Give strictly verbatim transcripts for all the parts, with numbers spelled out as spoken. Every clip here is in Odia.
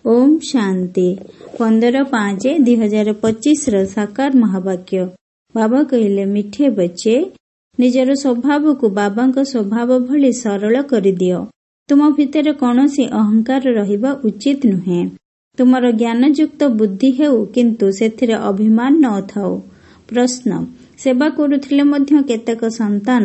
ଓମ୍ ଶାନ୍ତି। ପନ୍ଦର ପାଞ୍ଚ ଦୁଇ ହଜାର ପଚିଶର ସାକାର ମହାବାକ୍ୟ। ବାବା କହିଲେ, ମିଠେ ବଚ୍ଚେ, ନିଜର ସ୍ୱଭାବକୁ ବାବାଙ୍କ ସ୍ୱଭାବ ଭଳି ସରଳ କରିଦିଅ। ତୁମ ଭିତରେ କୌଣସି ଅହଙ୍କାର ରହିବା ଉଚିତ ନୁହେଁ। ତୁମର ଜ୍ଞାନଯୁକ୍ତ ବୁଦ୍ଧି ହେଉ, କିନ୍ତୁ ସେଥିରେ ଅଭିମାନ ନଥାଉ। ପ୍ରଶ୍ନ, ସେବା କରୁଥିଲେ ମଧ୍ୟ କେତେକ ସନ୍ତାନ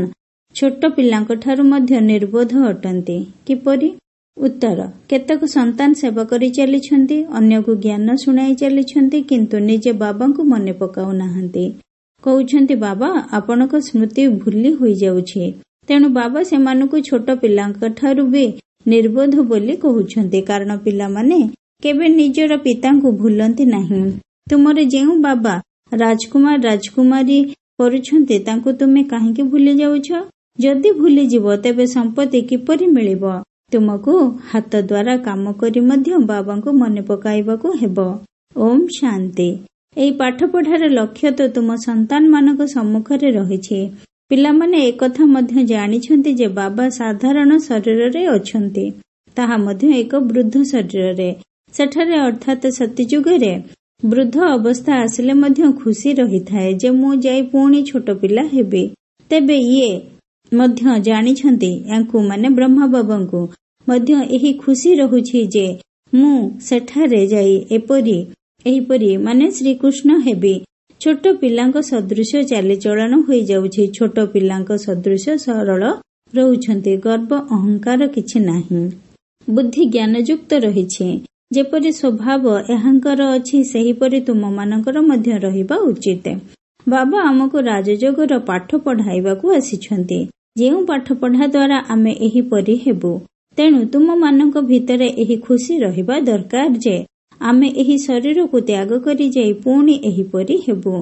ଛୋଟ ପିଲାଙ୍କଠାରୁ ମଧ୍ୟ ନିର୍ବୋଧ ଅଟନ୍ତି, କିପରି? ଉତ୍ତର, କେତେକ ସନ୍ତାନ ସେବା କରି ଚାଲିଛନ୍ତି, ଅନ୍ୟକୁ ଜ୍ଞାନ ଶୁଣାଇ ଚାଲିଛନ୍ତି, କିନ୍ତୁ ନିଜେ ବାବାଙ୍କୁ ମନେ ପକାଉନାହାନ୍ତି। କହୁଛନ୍ତି, ବାବା, ଆପଣଙ୍କ ସ୍ମୃତି ଭୁଲି ହୋଇଯାଉଛି। ତେଣୁ ବାବା ସେମାନଙ୍କୁ ଛୋଟ ପିଲାଙ୍କଠାରୁ ବି ନିର୍ବୋଧ ବୋଲି କହୁଛନ୍ତି, କାରଣ ପିଲାମାନେ କେବେ ନିଜର ପିତାଙ୍କୁ ଭୁଲନ୍ତି ନାହିଁ। ତୁମର ଯେଉଁ ବାବା ରାଜକୁମାର ରାଜକୁମାରୀ କରୁଛନ୍ତି, ତାଙ୍କୁ ତୁମେ କାହିଁକି ଭୁଲି ଯାଉଛ? ଯଦି ଭୁଲିଯିବ ତେବେ ସମ୍ପତ୍ତି କିପରି ମିଳିବ? ତୁମକୁ ହାତ ଦ୍ୱାରା କାମ କରି ମଧ୍ୟ ବାବାଙ୍କୁ ମନେ ପକାଇବାକୁ ହେବ। ଓମ୍ ଶାନ୍ତି। ଏହି ପାଠପଢ଼ାର ଲକ୍ଷ୍ୟ ତ ତୁମ ସନ୍ତାନମାନଙ୍କ ସମ୍ମୁଖରେ ରହିଛି। ପିଲାମାନେ ଏକଥା ମଧ୍ୟ ଜାଣିଛନ୍ତି ଯେ ବାବା ସାଧାରଣ ଶରୀରରେ ଅଛନ୍ତି, ତାହା ମଧ୍ୟ ଏକ ବୃଦ୍ଧ ଶରୀରରେ। ସେଠାରେ ଅର୍ଥାତ୍ ସତୀଯୁଗରେ ବୃଦ୍ଧ ଅବସ୍ଥା ଆସିଲେ ମଧ୍ୟ ଖୁସି ରହିଥାଏ ଯେ ମୁଁ ଯାଇ ପୁଣି ଛୋଟ ପିଲା ହେବି। ତେବେ ଇଏ ମଧ୍ୟ ଜାଣିଛନ୍ତି, ୟାଙ୍କୁ ମାନେ ବ୍ରହ୍ମା ବାବାଙ୍କୁ ମଧ୍ୟ ଏହି ଖୁସି ରହୁଛି ଯେ ମୁଁ ସେଠାରେ ଯାଇ ଏପରି ଏହିପରି ମାନେ ଶ୍ରୀକୃଷ୍ଣ ହେବି। ଛୋଟ ପିଲାଙ୍କ ସଦୃଶ ଚାଲିଚଳନ ହୋଇଯାଉଛି। ଛୋଟ ପିଲାଙ୍କ ସଦୃଶ ସରଳ ରହୁଛନ୍ତି। ଗର୍ବ ଅହଙ୍କାର କିଛି ନାହିଁ। ବୁଦ୍ଧି ଜ୍ଞାନଯୁକ୍ତ ରହିଛି। ଯେପରି ସ୍ୱଭାବ ଏହାଙ୍କର ଅଛି, ସେହିପରି ତୁମମାନଙ୍କର ମଧ୍ୟ ରହିବା ଉଚିତ। ବାବା ଆମକୁ ରାଜଯୋଗର ପାଠ ପଢ଼ାଇବାକୁ ଆସିଛନ୍ତି, ଯେଉଁ ପାଠପଢ଼ା ଦ୍ୱାରା ଆମେ ଏହିପରି ହେବୁ। ତେଣୁ ତୁମମାନଙ୍କ ଭିତରେ ଏହି ଖୁସି ରହିବା ଦରକାର ଯେ ଆମେ ଏହି ଶରୀରକୁ ତ୍ୟାଗ କରି ଯାଇ ପୁଣି ଏହିପରି ହେବୁ।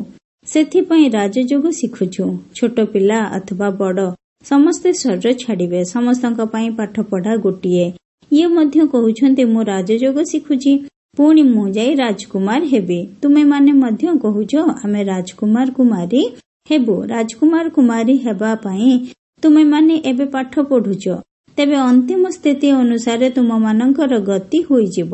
ସେଥିପାଇଁ ରାଜଯୋଗ ଶିଖୁଛୁ। ଛୋଟ ପିଲା ଅଥବା ବଡ଼ ସମସ୍ତେ ଶରୀର ଛାଡ଼ିବେ। ସମସ୍ତଙ୍କ ପାଇଁ ପାଠପଢ଼ା ଗୋଟିଏ। ଇଏ ମଧ୍ୟ କହୁଛନ୍ତି, ମୁଁ ରାଜଯୋଗ ଶିଖୁଛି, ପୁଣି ମୁଁ ଯାଇ ରାଜକୁମାର ହେବି। ତୁମେମାନେ ମଧ୍ୟ କହୁଛ, ଆମେ ରାଜକୁମାର କୁମାରୀ ହେବୁ। ରାଜକୁମାର କୁମାରୀ ହେବା ପାଇଁ ତୁମେମାନେ ଏବେ ପାଠ ପଢୁଛ। ତେବେ ଅନ୍ତିମ ସ୍ଥିତି ଅନୁସାରେ ତୁମମାନଙ୍କର ଗତି ହୋଇଯିବ।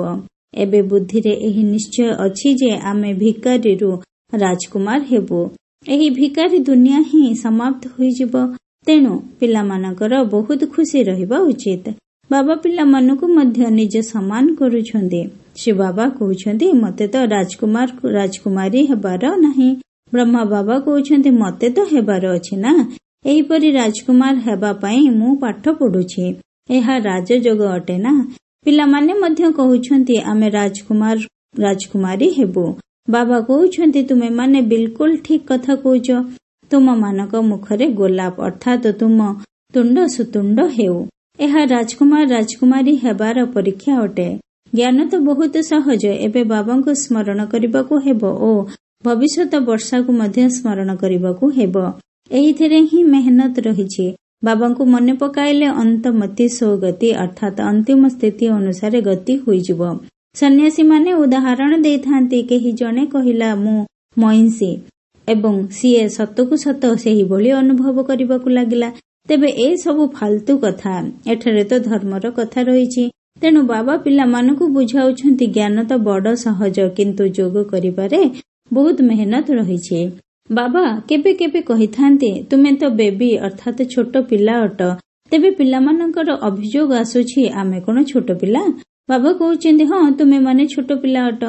ଏବେ ବୁଦ୍ଧିରେ ଏହି ନିଶ୍ଚୟ ଅଛି ଯେ ଆମେ ଭିକାରୀରୁ ରାଜକୁମାର ହେବୁ। ଏହି ଭିକାରୀ ଦୁନିଆ ହିଁ ସମାପ୍ତ ହୋଇଯିବ। ତେଣୁ ପିଲାମାନଙ୍କର ବହୁତ ଖୁସି ରହିବା ଉଚିତ। ବାବା ପିଲାମାନଙ୍କୁ ମଧ୍ୟ ନିଜ ସମାନ କରୁଛନ୍ତି। ଶିବ ବାବା କହୁଛନ୍ତି, ମତେ ତ ରାଜକୁମାର ରାଜକୁମାରୀ ହେବାର ନାହିଁ। ବ୍ରହ୍ମା ବାବା କହୁଛନ୍ତି, ମତେ ତ ହେବାର ଅଛି ନା। ଏହିପରି ରାଜକୁମାର ହେବା ପାଇଁ ମୁଁ ପାଠ ପଢୁଛି। ଏହା ରାଜଯୋଗ ଅଟେ ନା। ପିଲାମାନେ ମଧ୍ୟ କହୁଛନ୍ତି, ଆମେ ରାଜକୁମାର ରାଜକୁମାରୀ ହେବୁ। ବାବା କହୁଛନ୍ତି, ତୁମେମାନେ ବିଲକୁଲ ଠିକ କଥା କହୁଛ। ତୁମମାନଙ୍କ ମୁଖରେ ଗୋଲାପ ଅର୍ଥାତ ତୁମ ତୁଣ୍ଡ ସୁତୁଣ୍ଡ ହେଉ। ଏହା ରାଜକୁମାର ରାଜକୁମାରୀ ହେବାର ପରୀକ୍ଷା ଅଟେ। ଜ୍ଞାନ ତ ବହୁତ ସହଜ। ଏବେ ବାବାଙ୍କୁ ସ୍ମରଣ କରିବାକୁ ହେବ ଓ ଭବିଷ୍ୟତ ବର୍ଷାକୁ ମଧ୍ୟ ସ୍ମରଣ କରିବାକୁ ହେବ। ଏହିଥିରେ ହିଁ ମେହନତ ରହିଛି। ବାବାଙ୍କୁ ମନେ ପକାଇଲେ ଅନ୍ତମତି ସୋଗତି ଅର୍ଥାତ ଅନ୍ତିମ ସ୍ଥିତି ଅନୁସାରେ ଗତି ହୋଇଯିବ। ସନ୍ନ୍ୟାସୀମାନେ ଉଦାହରଣ ଦେଇଥାନ୍ତି। କେହି ଜଣେ କହିଲା, ମୁଁ ମଇଁଷି, ଏବଂ ସିଏ ସତକୁ ସତ ସେହିଭଳି ଅନୁଭବ କରିବାକୁ ଲାଗିଲା। ତେବେ ଏସବୁ ଫାଲତୁ କଥା। ଏଠାରେ ତ ଧର୍ମର କଥା ରହିଛି। ତେଣୁ ବାବା ପିଲାମାନଙ୍କୁ ବୁଝାଉଛନ୍ତି, ଜ୍ଞାନ ତ ବଡ ସହଜ, କିନ୍ତୁ ଯୋଗ କରିବାରେ ବହୁତ ମେହନତ ରହିଛି। ବାବା କେବେ କେବେ କହିଥାନ୍ତି, ତୁମେ ତ ବେବି ଅର୍ଥାତ ଛୋଟ ପିଲା ଅଟ। ତେବେ ପିଲାମାନଙ୍କର ଅଭିଯୋଗ ଆସୁଛି, ଆମେ କଣ ଛୋଟ ପିଲା? ବାବା କହୁଛନ୍ତି, ହଁ, ତୁମେମାନେ ଛୋଟ ପିଲା ଅଟ।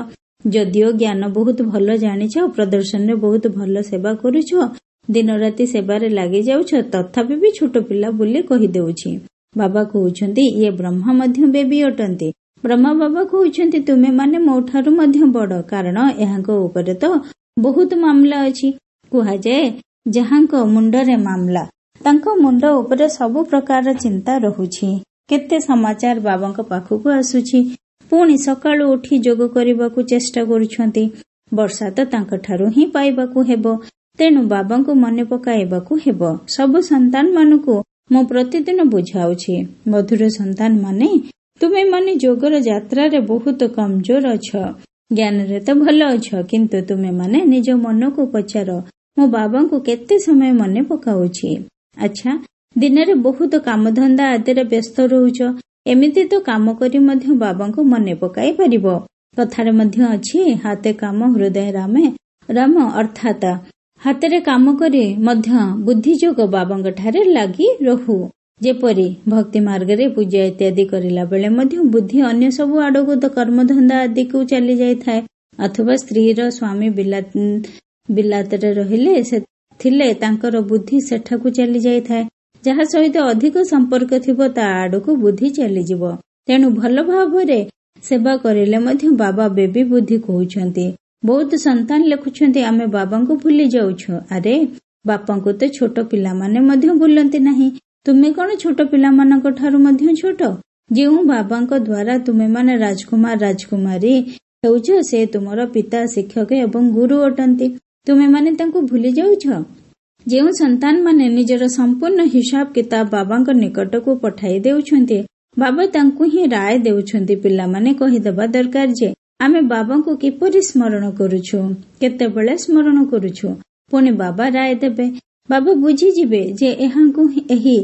ଯଦିଓ ଜ୍ଞାନ ବହୁତ ଭଲ ଜାଣିଛ, ପ୍ରଦର୍ଶନରେ ବହୁତ ଭଲ ସେବା କରୁଛ, ଦିନ ରାତି ସେବାରେ ଲାଗି ଯାଉଛ, ତଥାପି ବି ଛୋଟ ପିଲା ବୋଲି କହିଦେଉଛି। ବାବା କହୁଛନ୍ତି, ଇଏ ବ୍ରହ୍ମା ମଧ୍ୟ ବେବି ଅଟନ୍ତି। ବ୍ରହ୍ମା ବାବା କହୁଛନ୍ତି, ତୁମେମାନେ ମୋ ଠାରୁ ମଧ୍ୟ ବଡ, କାରଣ ଏହାଙ୍କ ଉପରେ ତ ବହୁତ ମାମଲା ଅଛି। କୁହାଯାଏ, ଯାହାଙ୍କ ମୁଣ୍ଡରେ ମାମଲା, ତାଙ୍କ ମୁଣ୍ଡ ଉପରେ ସବୁ ପ୍ରକାର ଚିନ୍ତା ରହୁଛି। କେତେ ସମାଚାର ବାବାଙ୍କ ପାଖକୁ ଆସୁଛି। ପୁଣି ସକାଳୁ ଉଠି ଯୋଗ କରିବାକୁ ଚେଷ୍ଟା କରୁଛନ୍ତି। ବର୍ଷା ତ ତାଙ୍କଠାରୁ ହିଁ ପାଇବାକୁ ହେବ। ତେଣୁ ବାବାଙ୍କୁ ମନେ ପକାଇବାକୁ ହେବ। ସବୁ ସନ୍ତାନମାନଙ୍କୁ ମୁଁ ପ୍ରତିଦିନ ବୁଝାଉଛି, ମଧୁର ସନ୍ତାନ ମାନେ, ତୁମେମାନେ ଯୋଗର ଯାତ୍ରାରେ ବହୁତ କମଜୋର ଅଛ। ଜ୍ଞାନରେ ତ ଭଲ ଅଛ, କିନ୍ତୁ ତୁମେମାନେ ନିଜ ମନକୁ ପଚାର, ମୁଁ ବାବାଙ୍କୁ କେତେ ସମୟ ମନେ ପକାଉଛି? ଆଚ୍ଛା, ଦିନରେ ବହୁତ କାମଧନ୍ଦା ଆଦିରେ ବ୍ୟସ୍ତ ରହୁଛ। ଏମିତି ତ କାମ କରି ମଧ୍ୟ ବାବାଙ୍କୁ ମନେ ପକାଇ ପାରିବ। କଥାରେ ମଧ୍ୟ ଅଛି, ହାତେ କାମ ହୃଦୟ ରାମେ ରାମ, ଅର୍ଥାତ ହାତରେ କାମ କରି ମଧ୍ୟ ବୁଦ୍ଧିଯୋଗ ବାବାଙ୍କ ଠାରେ ଲାଗି ରହୁ। ଯେପରି ଭକ୍ତି ମାର୍ଗରେ ପୂଜା ଇତ୍ୟାଦି କରିଲା ବେଳେ ମଧ୍ୟ ବୁଦ୍ଧି ଅନ୍ୟ ସବୁ ଆଡକୁ କର୍ମଧନ୍ଦା ଆଦିକୁ ଚାଲି ଯାଇଥାଏ, ଅଥବା ସ୍ତ୍ରୀର ସ୍ୱାମୀ ବିଲାତରେ ରହିଲେ ଥିଲେ ତାଙ୍କର ବୁଦ୍ଧି ସେଠାକୁ ଚାଲି ଯାଇଥାଏ। ଯାହା ସହିତ ଅଧିକ ସମ୍ପର୍କ ଥିବ ତା ଆଡକୁ ବୁଦ୍ଧି ଚାଲିଯିବ। ତେଣୁ ଭଲ ଭାବରେ ସେବା କରିଲେ ମଧ୍ୟ ବାବା ବେବି ବୁଦ୍ଧି କହୁଛନ୍ତି। ବହୁତ ସନ୍ତାନ ଲେଖୁଛନ୍ତି, ଆମେ ବାବାଙ୍କୁ ଭୁଲି ଯାଉଛୁ। ଆରେ ବାପାଙ୍କୁ ତ ଛୋଟ ପିଲାମାନେ ମଧ୍ୟ ଭୁଲନ୍ତି ନାହିଁ, ତୁମେ କଣ ଛୋଟ ପିଲାମାନଙ୍କ ଠାରୁ ମଧ୍ୟ ଛୋଟ? ଯେଉଁ ବାବାଙ୍କ ଦ୍ୱାରା ତୁମେମାନେ ରାଜକୁମାର ରାଜକୁମାରୀ ହେଉଛ, ସେ ତୁମର ପିତା, ଶିକ୍ଷକ ଏବଂ ଗୁରୁ ଅଟନ୍ତି। ତୁମେମାନେ ତାଙ୍କୁ ଭୁଲି ଯାଉଛ? ଯେଉଁ ସନ୍ତାନମାନେ ନିଜର ସମ୍ପୂର୍ଣ୍ଣ ହିସାବ କିତାବ ବାବାଙ୍କ ନିକଟକୁ ପଠାଇ ଦେଉଛନ୍ତି, ବାବା ତାଙ୍କୁ ହିଁ ରାୟ ଦେଉଛନ୍ତି। ପିଲାମାନେ କହିଦେବା ଦରକାର ଯେ ଆମେ ବାବାଙ୍କୁ କିପରି ସ୍ମରଣ କରୁଛୁ, କେତେବେଳେ ସ୍ମରଣ କରୁଛୁ। ପୁଣି ବାବା ରାୟ ଦେବେ। ବାବା ବୁଝିଯିବେ ଯେ ଏହାଙ୍କୁ ଏହି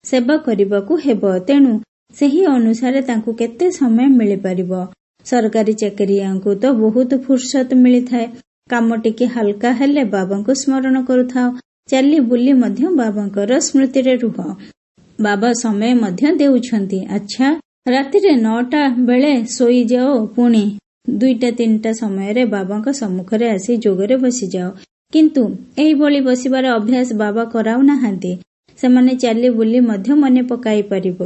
ସେବା କରିବାକୁ ହେବ, ତେଣୁ ସେହି ଅନୁସାରେ ତାଙ୍କୁ କେତେ ସମୟ ମିଳିପାରିବ। ସରକାରୀ ଚାକିରିଆଙ୍କୁ ତ ବହୁତ ଫୁର୍ସତ ମିଳିଥାଏ। କାମ ଟିକେ ହାଲକା ହେଲେ ବାବାଙ୍କୁ ସ୍ମରଣ କରୁଥାଅ। ଚାଲି ବୁଲି ମଧ୍ୟ ବାବାଙ୍କର ସ୍ମୃତିରେ ରୁହ। ବାବା ସମୟ ମଧ୍ୟ ଦେଉଛନ୍ତି। ଆଚ୍ଛା, ରାତିରେ ନଅଟା ବେଳେ ଶୋଇଯାଅ, ପୁଣି ଦୁଇଟା ତିନିଟା ସମୟରେ ବାବାଙ୍କ ସମ୍ମୁଖରେ ଆସି ଯୋଗରେ ବସିଯାଅ। କିନ୍ତୁ ଏହିଭଳି ବସିବାର ଅଭ୍ୟାସ ବାବା କରାଉନାହାନ୍ତି। ସେମାନେ ଚାଲି ବୁଲି ମଧ୍ୟ ମନେ ପକାଇ ପାରିବ।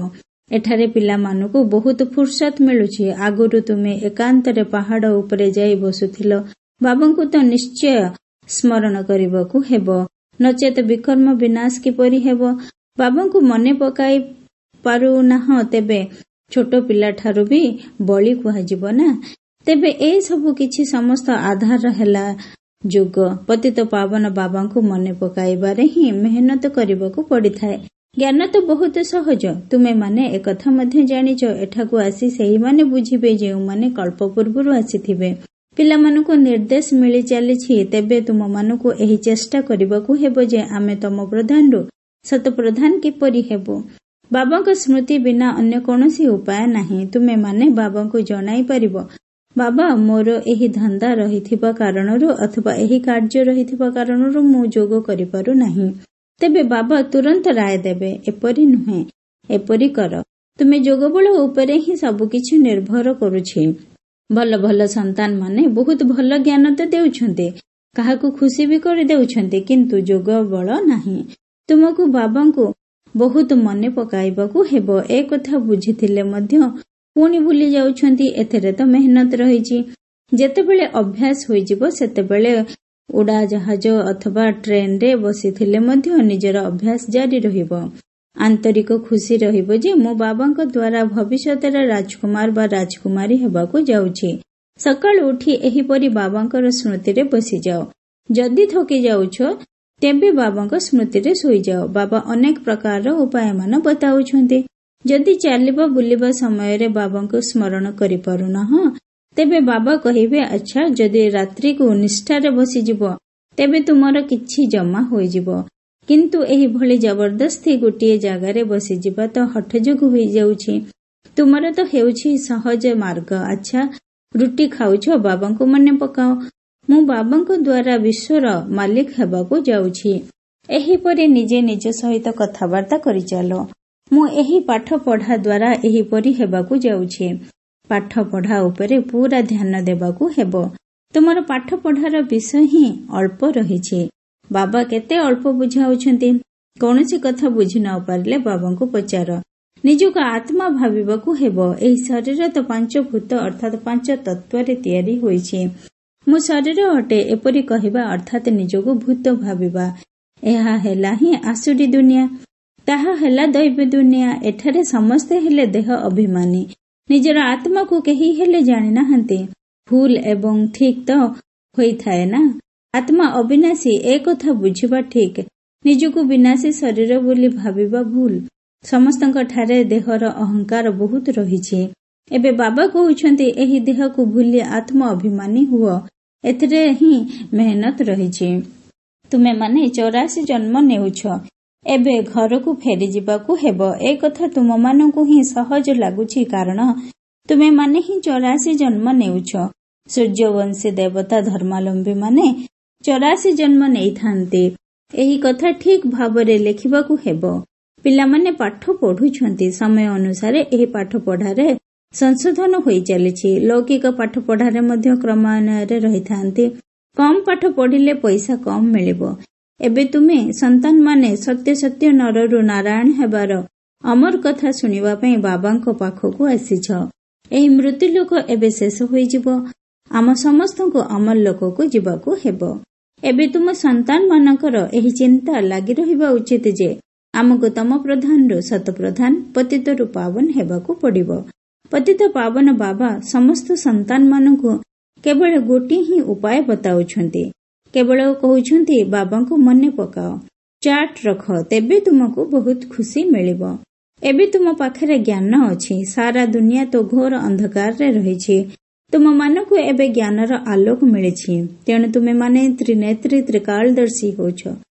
ଏଠାରେ ପିଲାମାନଙ୍କୁ ବହୁତ ଫୁର୍ସତ ମିଳୁଛି। ଆଗରୁ ତୁମେ ଏକାନ୍ତରେ ପାହାଡ ଉପରେ ଯାଇ ବସୁଥିଲ। ବାବାଙ୍କୁ ତ ନିଶ୍ଚୟ ସ୍ମରଣ କରିବାକୁ ହେବ, ନଚେତ ବିକର୍ମ ବିନାଶ କିପରି ହେବ? ବାବାଙ୍କୁ ମନେ ପକାଇ ପାରୁନାହଁ, ତେବେ ଛୋଟ ପିଲାଠାରୁ ବି ବଳି କୁହାଯିବ ନା? ତେବେ ଏସବୁ କିଛି ସମସ୍ତ ଆଧାର ହେଲା ଯୋଗ। ପତିତ ପାବନ ବାବାଙ୍କୁ ମନେ ପକାଇବାରେ ହିଁ ମେହନତ କରିବାକୁ ପଡିଥାଏ। ଜ୍ଞାନ ତ ବହୁତ ସହଜ। ତୁମେମାନେ ଏକଥା ମଧ୍ୟ ଜାଣିଛ। ଏଠାକୁ ଆସି ସେହିମାନେ ବୁଝିବେ ଯେଉଁମାନେ କଳ୍ପ ପୂର୍ବରୁ ଆସିଥିବେ। ପିଲାମାନଙ୍କୁ ନିର୍ଦ୍ଦେଶ ମିଳି ଚାଲିଛି, ତେବେ ତୁମମାନଙ୍କୁ ଏହି ଚେଷ୍ଟା କରିବାକୁ ହେବ ଯେ ଆମେ ତମ ପ୍ରଧାନରୁ ଶତପ୍ରଧାନ କିପରି ହେବୁ। ବାବାଙ୍କ ସ୍ମୃତି ବିନା ଅନ୍ୟ କୌଣସି ଉପାୟ ନାହିଁ। ତୁମେମାନେ ବାବାଙ୍କୁ ଜଣାଇ ପାରିବ, ବାବା ମୋର ଏହି ଧନ୍ଦା ରହିଥିବା କାରଣରୁ ଅଥବା ଏହି କାର୍ଯ୍ୟ ରହିଥିବା କାରଣରୁ ମୁଁ ଯୋଗ କରିପାରୁ ନାହିଁ। ତେବେ ବାବା ତୁରନ୍ତ ରାୟ ଦେବେ, ଏପରି ନୁହେଁ, ଏପରି କର। ତୁମେ ଯୋଗବଳ ଉପରେ ହିଁ ସବୁକିଛି ନିର୍ଭର କରୁଛି। ଭଲ ଭଲ ସନ୍ତାନ ମାନେ ବହୁତ ଭଲ ଜ୍ଞାନ ତ ଦେଉଛନ୍ତି, କାହାକୁ ଖୁସି ବି କରିଦେଉଛନ୍ତି, କିନ୍ତୁ ଯୋଗ ବଳ ନାହିଁ। ତୁମକୁ ବାବାଙ୍କୁ ବହୁତ ମନେ ପକାଇବାକୁ ହେବ। ଏ କଥା ବୁଝିଥିଲେ ମଧ୍ୟ ପୁଣି ଭୁଲି ଯାଉଛନ୍ତି। ଏଥିରେ ତ ମେହନତ ରହିଛି। ଯେତେବେଳେ ଅଭ୍ୟାସ ହୋଇଯିବ, ସେତେବେଳେ ଉଡ଼ାଜାହାଜ ଅଥବା ଟ୍ରେନରେ ବସିଥିଲେ ମଧ୍ୟ ନିଜର ଅଭ୍ୟାସ ଜାରି ରହିବ। ଆନ୍ତରିକ ଖୁସି ରହିବ ଯେ ମୁଁ ବାବାଙ୍କ ଦ୍ୱାରା ଭବିଷ୍ୟତରେ ରାଜକୁମାର ବା ରାଜକୁମାରୀ ହେବାକୁ ଯାଉଛି। ସକାଳୁ ଉଠି ଏହିପରି ବାବାଙ୍କର ସ୍ମୃତିରେ ବସିଯାଅ। ଯଦି ଥକି ଯାଉଛ, ତେବେ ବାବାଙ୍କ ସ୍ମୃତିରେ ଶୋଇଯାଅ। ବାବା ଅନେକ ପ୍ରକାରର ଉପାୟମାନ ବତାଉଛନ୍ତି। ଯଦି ଚାଲିବା ବୁଲିବା ସମୟରେ ବାବାଙ୍କୁ ସ୍ମରଣ କରିପାରୁନାହଁ, ତେବେ ବାବା କହିବେ, ଆଚ୍ଛା, ଯଦି ରାତ୍ରିକୁ ନିଷ୍ଠାରେ ବସିଯିବ, ତେବେ ତୁମର କିଛି ଜମା ହୋଇଯିବ। କିନ୍ତୁ ଏହିଭଳି ଜବରଦସ୍ତି ଗୋଟିଏ ଜାଗାରେ ବସିଯିବା ତ ହଠଯୋଗ ହୋଇଯାଉଛି। ତୁମର ତ ହେଉଛି ସହଜ ମାର୍ଗ। ଆଚ୍ଛା, ରୁଟି ଖାଉଛ, ବାବାଙ୍କୁ ମନେ ପକାଅ, ମୁଁ ବାବାଙ୍କ ଦ୍ୱାରା ବିଶ୍ୱର ମାଲିକ ହେବାକୁ ଯାଉଛି। ଏହିପରି ନିଜେ ନିଜ ସହିତ କଥାବାର୍ତ୍ତା କରିଚାଲ। ମୁଁ ଏହି ପାଠ ପଢା ଦ୍ୱାରା ଏହିପରି ହେବାକୁ ଯାଉଛି। ପାଠ ପଢା ଉପରେ ପୁରା ଧ୍ୟାନ ଦେବାକୁ ହେବ। ତୁମର ପାଠ ପଢାର ବିଷୟ ହିଁ ଅଳ୍ପ ରହିଛି। ବାବା କେତେ ଅଳ୍ପ ବୁଝାଉଛନ୍ତି। କୌଣସି କଥା ବୁଝି ନ ପାରିଲେ ବାବାଙ୍କୁ ପଚାର। ନିଜକୁ ଆତ୍ମା ଭାବିବାକୁ ହେବ। ଏହି ଶରୀର ତ ପାଞ୍ଚ ଭୂତ ଅର୍ଥାତ ପାଞ୍ଚ ତତ୍ତ୍ୱରେ ତିଆରି ହୋଇଛି। ମୁଁ ଶରୀର ଅଟେ, ଏପରି କହିବା ଅର୍ଥାତ ନିଜକୁ ଭୂତ ଭାବିବା। ଏହା ହେଲା ହିଁ ଆସୁରୀ ଦୁନିଆ, ତାହା ହେଲା ଦୈବ ଦୁନିଆ। ଏଠାରେ ସମସ୍ତେ ହେଲେ ଦେହ ଅଭିମାନୀ। ନିଜର ଆତ୍ମାକୁ କେହି ହେଲେ ଜାଣିନାହାନ୍ତି। ଭୁଲ ଏବଂ ଠିକ ତ ହୋଇଥାଏ ନା। ଆତ୍ମା ଅବିନାଶୀ, ଏ କଥା ବୁଝିବା ଠିକ। ନିଜକୁ ବିନାଶୀ ଶରୀର ବୋଲି ଭାବିବା ଭୁଲ। ସମସ୍ତଙ୍କ ଠାରେ ଦେହର ଅହଙ୍କାର ବହୁତ ରହିଛି। ଏବେ ବାବା କହୁଛନ୍ତି, ଏହି ଦେହକୁ ଭୁଲି ଆତ୍ମ ଅଭିମାନୀ ହୁଅ। ଏଥିରେ ହିଁ ମେହନତ ରହିଛି। ତୁମେମାନେ ଚଉରାଶୀ ଜନ୍ମ ନେଉଛ। ଏବେ ଘରକୁ ଫେରିଯିବାକୁ ହେବ। ଏ କଥା ତୁମମାନଙ୍କୁ ହିଁ ସହଜ ଲାଗୁଛି, କାରଣ ତୁମେମାନେ ହିଁ ଚୌରାଶୀ ଜନ୍ମ ନେଉଛ। ସୂର୍ଯ୍ୟବଂଶୀ ଦେବତା ଧର୍ମାବଲମ୍ବୀମାନେ ଚୌରାଶୀ ଜନ୍ମ ନେଇଥାନ୍ତି। ଏହି କଥା ଠିକ୍ ଭାବରେ ଲେଖିବାକୁ ହେବ। ପିଲାମାନେ ପାଠ ପଢୁଛନ୍ତି। ସମୟ ଅନୁସାରେ ଏହି ପାଠପଢାରେ ସଂଶୋଧନ ହୋଇ ଚାଲିଛି। ଲୌକିକ ପାଠପଢାରେ ମଧ୍ୟ କ୍ରମାନ୍ୱୟରେ ରହିଥାନ୍ତି। କମ୍ ପାଠ ପଢିଲେ ପଇସା କମ୍ ମିଳିବ। ଏବେ ତୁମେ ସନ୍ତାନମାନେ ସତ୍ୟ ସତ୍ୟ ନରରୁ ନାରାୟଣ ହେବାର ଅମର କଥା ଶୁଣିବା ପାଇଁ ବାବାଙ୍କ ପାଖକୁ ଆସିଛ। ଏହି ମୃତ୍ୟୁଲୋକ ଏବେ ଶେଷ ହୋଇଯିବ। ଆମ ସମସ୍ତଙ୍କୁ ଅମର ଲୋକକୁ ଯିବାକୁ ହେବ। ଏବେ ତୁମ ସନ୍ତାନମାନଙ୍କର ଏହି ଚିନ୍ତା ଲାଗି ରହିବା ଉଚିତ ଯେ ଆମକୁ ତମ ପ୍ରଧାନରୁ ସତପ୍ରଧାନ, ପତିତରୁ ପାବନ ହେବାକୁ ପଡିବ। ପତିତ ପାବନ ବାବା ସମସ୍ତ ସନ୍ତାନମାନଙ୍କୁ କେବଳ ଗୋଟିଏ ହିଁ ଉପାୟ ବତାଉଛନ୍ତି। କେବଳ କହୁଛନ୍ତି ବାବାଙ୍କୁ ମନେ ପକାଅ, ଚାର୍ଟ ରଖ, ତେବେ ତୁମକୁ ବହୁତ ଖୁସି ମିଳିବ। ଏବେ ତୁମ ପାଖରେ ଜ୍ଞାନ ଅଛି। ସାରା ଦୁନିଆ ତ ଘୋର ଅନ୍ଧକାରରେ ରହିଛି। ତୁମମାନଙ୍କୁ ଏବେ ଜ୍ଞାନର ଆଲୋକ ମିଳିଛି, ତେଣୁ ତୁମେମାନେ ତ୍ରିନେତ୍ରୀ ତ୍ରିକାଳଦର୍ଶୀ ହେଉଛ।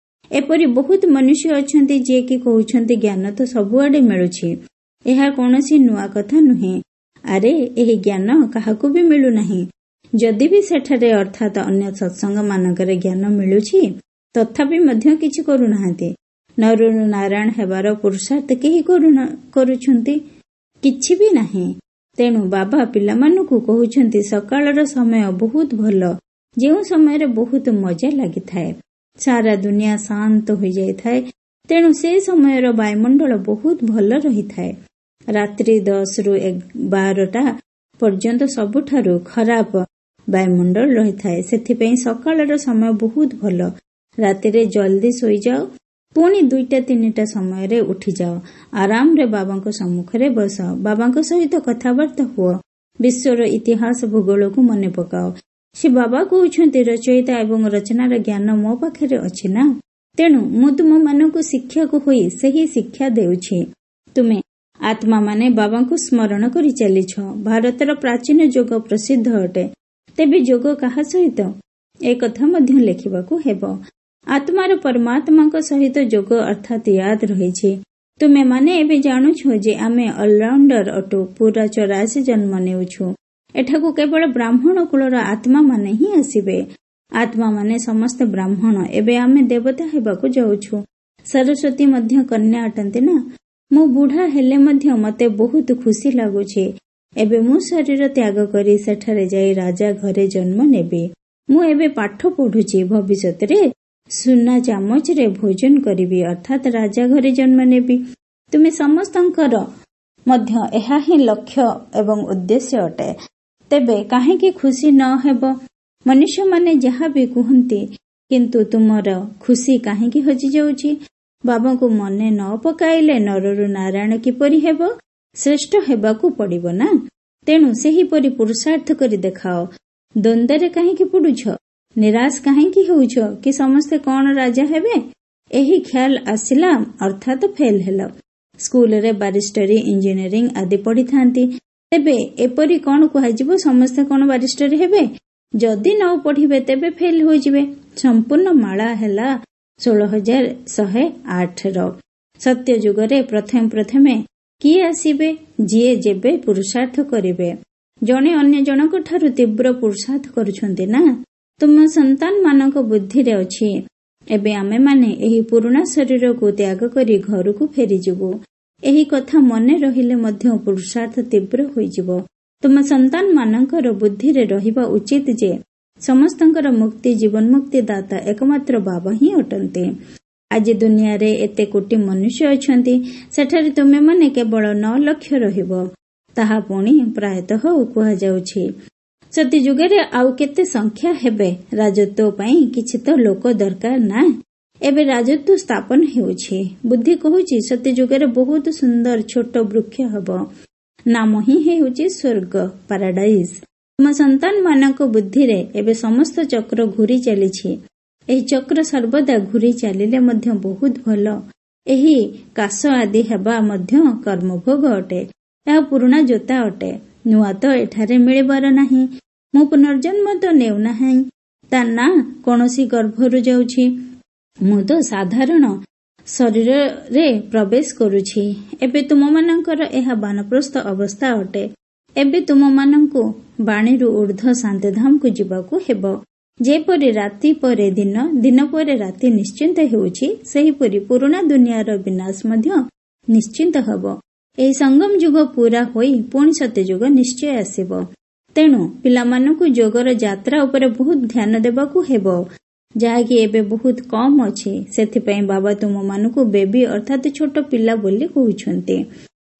ଏପରି ବହୁତ ମନୁଷ୍ୟ ଅଛନ୍ତି ଯିଏକି କହୁଛନ୍ତି ଜ୍ଞାନ ତ ସବୁଆଡେ ମିଳୁଛି, ଏହା କୌଣସି ନୂଆ କଥା ନୁହେଁ। ଆରେ ଏହି ଜ୍ଞାନ କାହାକୁ ବି ମିଳୁନାହିଁ। ଯଦି ବି ସେଠାରେ ଅର୍ଥାତ ଅନ୍ୟ ସତ୍ସଙ୍ଗ ମାନଙ୍କରେ ଜ୍ଞାନ ମିଳୁଛି, ତଥାପି ମଧ୍ୟ କିଛି କରୁନାହାନ୍ତି। ନରରୁ ନାରାୟଣ ହେବାର ପୁରୁଷାର୍ଥ କେହି କରୁଛନ୍ତି? କିଛି ବି ନାହିଁ। ତେଣୁ ବାବା ପିଲାମାନଙ୍କୁ କହୁଛନ୍ତି ସକାଳର ସମୟ ବହୁତ ଭଲ, ଯେଉଁ ସମୟରେ ବହୁତ ମଜା ଲାଗିଥାଏ। ସାରା ଦୁନିଆ ଶାନ୍ତ ହୋଇଯାଇଥାଏ, ତେଣୁ ସେ ସମୟର ବାୟୁମଣ୍ଡଳ ବହୁତ ଭଲ ରହିଥାଏ। ରାତ୍ରି ଦଶରୁ ବାରଟା ପର୍ଯ୍ୟନ୍ତ ସବୁଠାରୁ ଖରାପ ବାୟୁମଣ୍ଡଳ ରହିଥାଏ। ସେଥିପାଇଁ ସକାଳର ସମୟ ବହୁତ ଭଲ। ରାତିରେ ଜଲଦି ଶୋଇଯାଅ, ପୁଣି ଦୁଇଟା ତିନିଟା ସମୟରେ ଉଠିଯାଅ। ଆରାମରେ ବାବାଙ୍କ ସମ୍ମୁଖରେ ବସ, ବାବାଙ୍କ ସହିତ କଥାବାର୍ତ୍ତା ହୁଅ, ବିଶ୍ୱର ଇତିହାସ ଭୂଗୋଳକୁ ମନେ ପକାଅ। ସେ ବାବା କହୁଛନ୍ତି ରଚୟିତା ଏବଂ ରଚନାର ଜ୍ଞାନ ମୋ ପାଖରେ ଅଛି ନା, ତେଣୁ ମୁଁ ତୁମମାନଙ୍କୁ ଶିକ୍ଷକ ହୋଇ ସେହି ଶିକ୍ଷା ଦେଉଛି। ତୁମେ ଆତ୍ମାମାନେ ବାବାଙ୍କୁ ସ୍ମରଣ କରି ଚାଲିଛ। ଭାରତର ପ୍ରାଚୀନ ଯୋଗ ପ୍ରସିଦ୍ଧ ଅଟେ। ତେବେ ଯୋଗ କାହା ସହିତ? ଏକଥା ମଧ୍ୟ ଲେଖିବାକୁ ହେବ। ଆତ୍ମାର ପରମାତ୍ମାଙ୍କ ସହିତ ଯୋଗ ଅର୍ଥାତ ୟାଦ ରହିଛି। ତୁମେମାନେ ଏବେ ଜାଣୁଛ ଯେ ଆମେ ଅଲରାଉଣ୍ଡର ଅଟୁ, ପୁରା ଚୌରାଶୀ ଜନ୍ମ ନେଉଛୁ। ଏଠାକୁ କେବଳ ବ୍ରାହ୍ମଣ କୁଳର ଆତ୍ମାମାନେ ହିଁ ଆସିବେ। ଆତ୍ମାମାନେ ସମସ୍ତେ ବ୍ରାହ୍ମଣ। ଏବେ ଆମେ ଦେବତା ହେବାକୁ ଯାଉଛୁ। ସରସ୍ୱତୀ ମଧ୍ୟ କନ୍ୟା ଅଟନ୍ତି ନା। ମୁଁ ବୁଢା ହେଲେ ମଧ୍ୟ ମତେ ବହୁତ ଖୁସି ଲାଗୁଛି। ଏବେ ମୁଁ ଶରୀର ତ୍ୟାଗ କରି ସେଠାରେ ଯାଇ ରାଜା ଘରେ ଜନ୍ମ ନେବି। ମୁଁ ଏବେ ପାଠ ପଢୁଛି। ଭବିଷ୍ୟତରେ ସୁନା ଚାମଚରେ ଭୋଜନ କରିବି, ଅର୍ଥାତ ରାଜା ଘରେ ଜନ୍ମ ନେବି। ତୁମେ ସମସ୍ତଙ୍କର ମଧ୍ୟ ଏହା ହିଁ ଲକ୍ଷ୍ୟ ଏବଂ ଉଦ୍ଦେଶ୍ୟ ଅଟେ। ତେବେ କାହିଁକି ଖୁସି ନ ହେବ? ମନୁଷ୍ୟମାନେ ଯାହା ବି କୁହନ୍ତି, କିନ୍ତୁ ତୁମର ଖୁସି କାହିଁକି ହଜିଯାଉଛି? ବାବାଙ୍କୁ ମନେ ନ ପକାଇଲେ ନରରୁ ନାରାୟଣ କିପରି ହେବ? ଶ୍ରେଷ୍ଠ ହେବାକୁ ପଡିବ ନା। ତେଣୁ ସେହିପରି ପୁରୁଷାର୍ଥ କରି ଦେଖାଅ। ଦ୍ୱନ୍ଦ୍ୱରେ କାହିଁକି ପଡୁଛ? ନିରାଶ କାହିଁକି ହେଉଛ କି ସମସ୍ତେ କଣ ରାଜା ହେବେ? ଏହି ଖ୍ୟାଲ ଆସିଲା ଅର୍ଥାତ ଫେଲ ହେଲ। ସ୍କୁଲରେ ବାରିଷ୍ଟରୀ, ଇଞ୍ଜିନିୟରିଂ ଆଦି ପଢିଥାନ୍ତି। ତେବେ ଏପରି କଣ କୁହାଯିବ ସମସ୍ତେ କଣ ବାରିଷ୍ଟରୀ ହେବେ? ଯଦି ନ ପଢିବେ ତେବେ ଫେଲ ହୋଇଯିବେ। ସମ୍ପୂର୍ଣ୍ଣ ମାଳା ହେଲା ଷୋହଳ ହଜାର ଶହେ ଆଠର। ସତ୍ୟ ଯୁଗରେ ପ୍ରଥମେ ପ୍ରଥମେ କିଏ ଆସିବେ? ଯିଏ ଯେବେ ପୁରୁଷାର୍ଥ କରିବେ। ଜଣେ ଅନ୍ୟ ଜଣଙ୍କ ଠାରୁ ତୀବ୍ର ପୁରୁଷାର୍ଥ କରୁଛନ୍ତି ନା। ତୁମ ସନ୍ତାନମାନଙ୍କ ବୁଦ୍ଧିରେ ଅଛି ଏବେ ଆମେମାନେ ଏହି ପୁରୁଣା ଶରୀରକୁ ତ୍ୟାଗ କରି ଘରକୁ ଫେରିଯିବୁ। ଏହି କଥା ମନେ ରହିଲେ ମଧ୍ୟ ପୁରୁଷାର୍ଥ ତୀବ୍ର ହୋଇଯିବ। ତୁମ ସନ୍ତାନମାନଙ୍କର ବୁଦ୍ଧିରେ ରହିବା ଉଚିତ ଯେ ସମସ୍ତଙ୍କର ମୁକ୍ତି, ଜୀବନ ମୁକ୍ତି ଦାତା ଏକମାତ୍ର ବାବା ହିଁ ଅଟନ୍ତି। ଆଜି ଦୁନିଆରେ ଏତେ କୋଟି ମନୁଷ୍ୟ ଅଛନ୍ତି, ସେଠାରେ ତୁମେମାନେ କେବଳ ନଅ ଲକ୍ଷ ରହିବ। ତାହା ପୁଣି ପ୍ରାୟତଃ କୁହାଯାଉଛି। ସତୀଯୁଗରେ ଆଉ କେତେ ସଂଖ୍ୟା ହେବେ? ରାଜତ୍ୱ ପାଇଁ କିଛି ତ ଲୋକ ଦରକାର ନା। ଏବେ ରାଜତ୍ୱ ସ୍ଥାପନ ହେଉଛି। ବୁଦ୍ଧି କହୁଛି ସତୀଯୁଗରେ ବହୁତ ସୁନ୍ଦର ଛୋଟ ବୃକ୍ଷ ହେବ। ନାମ ହିଁ ହେଉଛି ସ୍ୱର୍ଗ, ପାରାଡାଇଜ। ତୁମ ସନ୍ତାନମାନଙ୍କ ବୁଦ୍ଧିରେ ଏବେ ସମସ୍ତ ଚକ୍ର ଘୁରି ଚାଲିଛି। ଏହି ଚକ୍ର ସର୍ବଦା ଘୁରି ଚାଲିଲେ ମଧ୍ୟ ବହୁତ ଭଲ। ଏହି କାଶ ଆଦି ହେବା ମଧ୍ୟ କର୍ମଭୋଗ ଅଟେ। ଏହା ପୁରୁଣା ଜୋତା ଅଟେ। ନୂଆ ତ ଏଠାରେ ମିଳିବାର ନାହିଁ। ମୁଁ ପୁନର୍ଜନ୍ମ ତ ନେଉନାହିଁ, ତା ନା କୌଣସି ଗର୍ଭରୁ ଯାଉଛି। ମୁଁ ତ ସାଧାରଣ ଶରୀରରେ ପ୍ରବେଶ କରୁଛି। ଏବେ ତୁମମାନଙ୍କର ଏହା ବାନପ୍ରସ୍ଥ ଅବସ୍ଥା ଅଟେ। ଏବେ ତୁମମାନଙ୍କୁ ବାଣୀରୁ ଉର୍ଦ୍ଧ୍ୱ ଶାନ୍ତିଧାମକୁ ଯିବାକୁ ହେବ। ଯେପରି ରାତି ପରେ ଦିନ, ଦିନ ପରେ ରାତି ନିଶ୍ଚିନ୍ତ ହେଉଛି, ସେହିପରି ପୁରୁଣା ଦୁନିଆର ବିନାଶ ମଧ୍ୟ ନିଶ୍ଚିନ୍ତ ହେବ। ଏହି ସଙ୍ଗମ ଯୁଗ ପୁରା ହୋଇ ପୁଣି ସତ୍ୟଯୁଗ ନିଶ୍ଚୟ ଆସିବ। ତେଣୁ ପିଲାମାନଙ୍କୁ ଯୋଗର ଯାତ୍ରା ଉପରେ ବହୁତ ଧ୍ୟାନ ଦେବାକୁ ହେବ, ଯାହାକି ଏବେ ବହୁତ କମ୍ ଅଛି। ସେଥିପାଇଁ ବାବା ତୁମମାନଙ୍କୁ ବେବି ଅର୍ଥାତ୍ ଛୋଟ ପିଲା ବୋଲି କହୁଛନ୍ତି।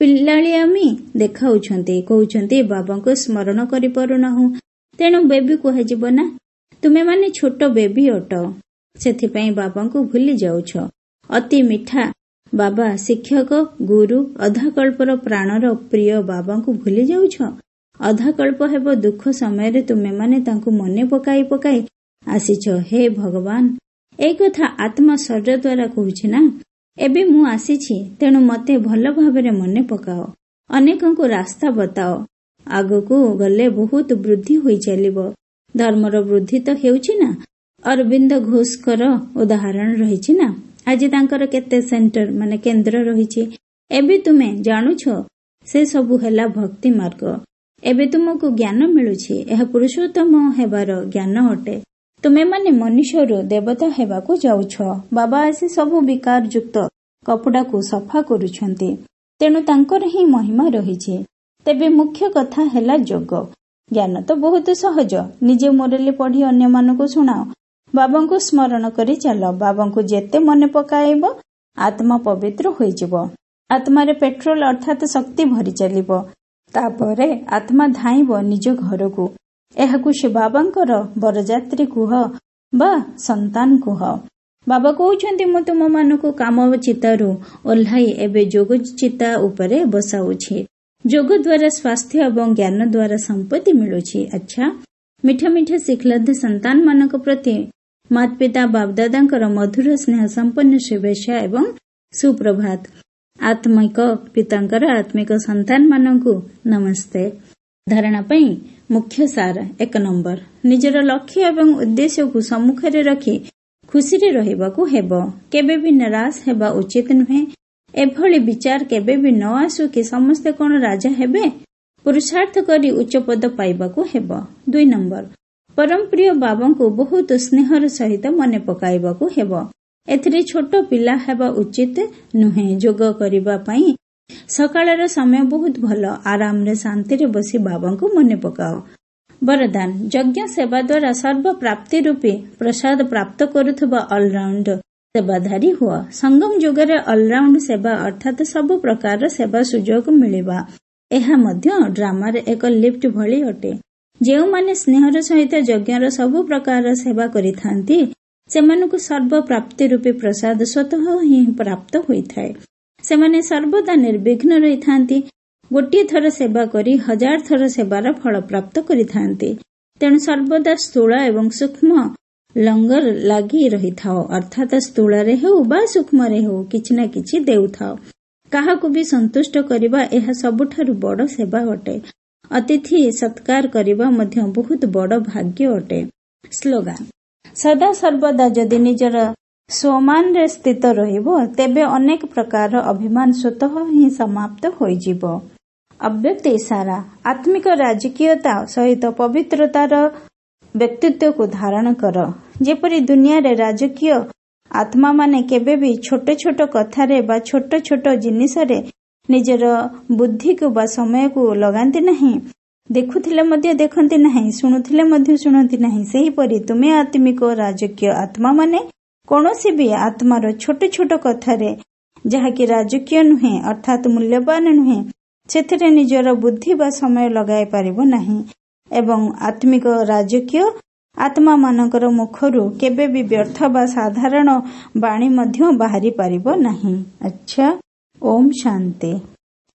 ପିଲାଳିଆମି ଦେଖାଉଛନ୍ତି, କହୁଛନ୍ତି ବାବାଙ୍କୁ ସ୍ମରଣ କରିପାରୁନାହୁଁ, ତେଣୁ ବେବି କୁହାଯିବ ନା। ତୁମେମାନେ ଛୋଟ ବେବି ଅଟ, ସେଥିପାଇଁ ବାବାଙ୍କୁ ଭୁଲି ଯାଉଛ। ଅତି ମିଠା ବାବା, ଶିକ୍ଷକ, ଗୁରୁ, ଅଧାକଳ୍ପର ପ୍ରାଣର ପ୍ରିୟ ବାବାଙ୍କୁ ଭୁଲି ଯାଉଛ। ଅଧାକଳ୍ପ ହେବ ଦୁଃଖ ସମୟରେ ତୁମେମାନେ ତାଙ୍କୁ ମନେ ପକାଇ ପକାଇ ଆସିଛ। ହେ ଭଗବାନ, ଏଇ କଥା ଆତ୍ମା ଶରୀର ଦ୍ୱାରା କହୁଛି ନା। ଏବେ ମୁଁ ଆସିଛି, ତେଣୁ ମତେ ଭଲ ଭାବରେ ମନେ ପକାଅ, ଅନେକଙ୍କୁ ରାସ୍ତା ବତାଅ। ଆଗକୁ ଗଲେ ବହୁତ ବୃଦ୍ଧି ହୋଇ ଚାଲିବ। ଧର୍ମର ବୃଦ୍ଧି ତ ହେଉଛି ନା। ଅରବିନ୍ଦ ଘୋଷଙ୍କର ଉଦାହରଣ ରହିଛି ନା। ଆଜି ତାଙ୍କର କେତେ ସେଣ୍ଟର ମାନେ କେନ୍ଦ୍ର ରହିଛି। ଏବେ ତୁମେ ଜାଣୁଛ ସେ ସବୁ ହେଲା ଭକ୍ତି ମାର୍ଗ। ଏବେ ତୁମକୁ ଜ୍ଞାନ ମିଳୁଛି, ଏହା ପୁରୁଷୋତ୍ତମ ହେବାର ଜ୍ଞାନ ଅଟେ। ତୁମେମାନେ ମନୁଷ୍ୟରୁ ଦେବତା ହେବାକୁ ଯାଉଛ। ବାବା ଆସି ସବୁ ବିକାର ଯୁକ୍ତ କପଡ଼ାକୁ ସଫା କରୁଛନ୍ତି, ତେଣୁ ତାଙ୍କର ହିଁ ମହିମା ରହିଛି। ତେବେ ମୁଖ୍ୟ କଥା ହେଲା ଯୋଗ। ଜ୍ଞାନ ତ ବହୁତ ସହଜ। ନିଜେ ମୁରଲୀ ପଢି ଅନ୍ୟମାନଙ୍କୁ ଶୁଣାଅ। ବାବାଙ୍କୁ ସ୍ମରଣ କରି ଚାଲ। ବାବାଙ୍କୁ ଯେତେ ମନେ ପକାଇବ ଆତ୍ମା ପବିତ୍ର ହୋଇଯିବ। ଆତ୍ମାରେ ପେଟ୍ରୋଲ ଅର୍ଥାତ୍ ଶକ୍ତି ଭରି ଚାଲିବ। ତାପରେ ଆତ୍ମା ଧାଇଁବ ନିଜ ଘରକୁ। ଏହାକୁ ସେ ବାବାଙ୍କର ବରଯାତ୍ରୀ କୁହ ବା ସନ୍ତାନ କୁହ। ବାବା କହୁଛନ୍ତି, ମୁଁ ତୁମମାନଙ୍କୁ କାମ ଚିତାରୁ ଓହ୍ଲାଇ ଏବେ ଯୋଗ ଚିତା ଉପରେ ବସାଉଛି। ଯୋଗ ଦ୍ୱାରା ସ୍ୱାସ୍ଥ୍ୟ ଏବଂ ଜ୍ଞାନ ଦ୍ୱାରା ସମ୍ପତ୍ତି ମିଳୁଛି। ଆଚ୍ଛା, ମିଠା ମିଠା ଶିଖଲବ୍ଧ ସନ୍ତାନମାନଙ୍କ ପ୍ରତି ମାତା ପିତା ବାପଦାଦାଙ୍କର ମଧୁର ସ୍ନେହ ସମ୍ପନ୍ନ ଶୁଭେଚ୍ଛା ଏବଂ ସୁପ୍ରଭାତ। ଆତ୍ମିକ ପିତାଙ୍କର ଆତ୍ମିକ ସନ୍ତାନମାନଙ୍କୁ ନମସ୍ତେ। ଧାରଣା ପାଇଁ ମୁଖ୍ୟ ସାର। ଏକ ନମ୍ବର, ନିଜର ଲକ୍ଷ୍ୟ ଏବଂ ଉଦ୍ଦେଶ୍ୟକୁ ସମ୍ମୁଖରେ ରଖି ଖୁସିରେ ରହିବାକୁ ହେବ। କେବେ ବି ନିରାଶ ହେବା ଉଚିତ ନୁହେଁ। ଏଭଳି ବିଚାର କେବେ ବି ନ ଆସୁ କି ସମସ୍ତେ କଣ ରାଜା ହେବେ। ପୁରୁଷାର୍ଥ କରି ଉଚ୍ଚ ପଦ ପାଇବାକୁ ହେବ। ଦୁଇ ନମ୍ବର, ପରମ ପ୍ରିୟ ବାବାଙ୍କୁ ବହୁତ ସ୍ନେହର ସହିତ ମନେ ପକାଇବାକୁ ହେବ। ଏଥିରେ ଛୋଟ ପିଲା ହେବା ଉଚିତ ନୁହେଁ। ଯୋଗ କରିବା ପାଇଁ ସକାଳର ସମୟ ବହୁତ ଭଲ। ଆରାମରେ ଶାନ୍ତିରେ ବସି ବାବାଙ୍କୁ ମନେ ପକାଅ। ବରଦାନ, ଯଜ୍ଞ ସେବା ଦ୍ୱାରା ସର୍ବପ୍ରାପ୍ତି ରୂପୀ ପ୍ରସାଦ ପ୍ରାପ୍ତ କରୁଥିବା ଅଲରାଉଣ୍ଡ ସେବାଧାରୀ ହୁଅ। ସଙ୍ଗମ ଯୁଗରେ ଅଲରାଉଣ୍ଡ ସେବା ଅର୍ଥାତ୍ ସବୁ ପ୍ରକାରର ସେବା ସୁଯୋଗ ମିଳିବା, ଏହା ମଧ୍ୟ ଡ୍ରାମାରେ ଏକ ଲିଫ୍ଟ ଭଳି ଅଟେ। ଯେଉଁମାନେ ସ୍ନେହର ସହିତ ଯଜ୍ଞର ସବୁ ପ୍ରକାରର ସେବା କରିଥାନ୍ତି, ସେମାନଙ୍କୁ ସର୍ବପ୍ରାପ୍ତି ରୂପୀ ପ୍ରସାଦ ସ୍ୱତଃ ହିଁ ପ୍ରାପ୍ତ ହୋଇଥାଏ। ସେମାନେ ସର୍ବଦା ନିର୍ବିଘ୍ନ ରହିଥାନ୍ତି। ଗୋଟିଏ ଥର ସେବା କରି ହଜାର ଥର ସେବାର ଫଳ ପ୍ରାପ୍ତ କରିଥାନ୍ତି। ତେଣୁ ସର୍ବଦା ସ୍ଥୂଳ ଏବଂ ସୂକ୍ଷ୍ମ ଲଙ୍ଗର ଲାଗି ରହିଥାଅ, ଅର୍ଥାତ୍ ସ୍ଥୂଳରେ ହେଉ ବା ସୂକ୍ଷ୍ମରେ ହେଉ କିଛି ନା କିଛି ଦେଉଥାଅ। କାହାକୁ ବି ସନ୍ତୁଷ୍ଟ କରିବା ଏହା ସବୁଠାରୁ ବଡ଼ ସେବା ଅଟେ। ଅତିଥି ସତ୍କାର କରିବା ମଧ୍ୟ ବହୁତ ବଡ଼ ଭାଗ୍ୟ ଅଟେ। ସ୍ଲୋଗାନ, ସଦା ସର୍ବଦା ଯଦି ନିଜର ସ୍ୱମାନରେ ସ୍ଥିତ ରହିବ, ତେବେ ଅନେକ ପ୍ରକାରର ଅଭିମାନ ସ୍ୱତଃ ହିଁ ସମାପ୍ତ ହୋଇଯିବ। ଅବ୍ୟକ୍ତ ଇଶାରା, ଆତ୍ମିକ ରାଜକୀୟତା ସହିତ ପବିତ୍ରତାର ବ୍ୟକ୍ତିତ୍ୱକୁ ଧାରଣ କର। ଯେପରି ଦୁନିଆରେ ରାଜକୀୟ ଆତ୍ମାମାନେ କେବେ ବି ଛୋଟ ଛୋଟ କଥାରେ ବା ଛୋଟ ଛୋଟ ଜିନିଷରେ ନିଜର ବୁଦ୍ଧିକୁ ବା ସମୟକୁ ଲଗାନ୍ତି ନାହିଁ, ଦେଖୁଥିଲେ ମଧ୍ୟ ଦେଖନ୍ତି ନାହିଁ, ଶୁଣୁଥିଲେ ମଧ୍ୟ ଶୁଣନ୍ତି ନାହିଁ, ସେହିପରି ତୁମେ ଆତ୍ମିକ ରାଜକୀୟ ଆତ୍ମାମାନେ କୌଣସି ବି ଆତ୍ମାର ଛୋଟ ଛୋଟ କଥାରେ, ଯାହାକି ରାଜକୀୟ ନୁହେଁ ଅର୍ଥାତ୍ ମୂଲ୍ୟବାନ ନୁହେଁ, ସେଥିରେ ନିଜର ବୁଦ୍ଧି ବା ସମୟ ଲଗାଇ ପାରିବ ନାହିଁ। ଏବଂ ଆତ୍ମିକ ରାଜକୀୟ ଆତ୍ମାମାନଙ୍କର ମୁଖରୁ କେବେ ବି ବ୍ୟର୍ଥ ବା ସାଧାରଣ ବାଣୀ ମଧ୍ୟ ବାହାରି ପାରିବ ନାହିଁ। ଆଚ୍ଛା, ଓମ୍ ଶାନ୍ତି।